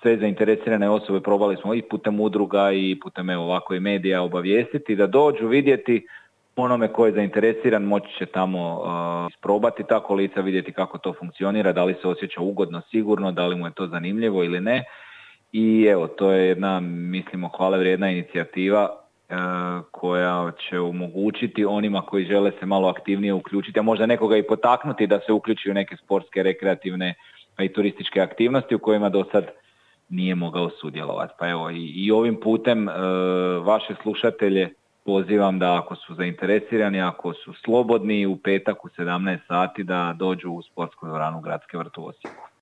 sve zainteresirane osobe probali smo i putem udruga i putem ovako i medija obavijestiti da dođu vidjeti. Onome ko je zainteresiran moći će tamo isprobati ta kolica, vidjeti kako to funkcionira, da li se osjeća ugodno, sigurno, da li mu je to zanimljivo ili ne. I evo, to je jedna, mislimo, hvale vrijedna inicijativa koja će omogućiti onima koji žele se malo aktivnije uključiti, a možda nekoga i potaknuti da se uključi u neke sportske, rekreativne pa i turističke aktivnosti u kojima do sad nije mogao sudjelovati. Pa evo, i ovim putem vaše slušatelje pozivam da ako su zainteresirani, ako su slobodni u petak u 17 sati da dođu u sportsku dvoranu Gradske vrt u Osijeku.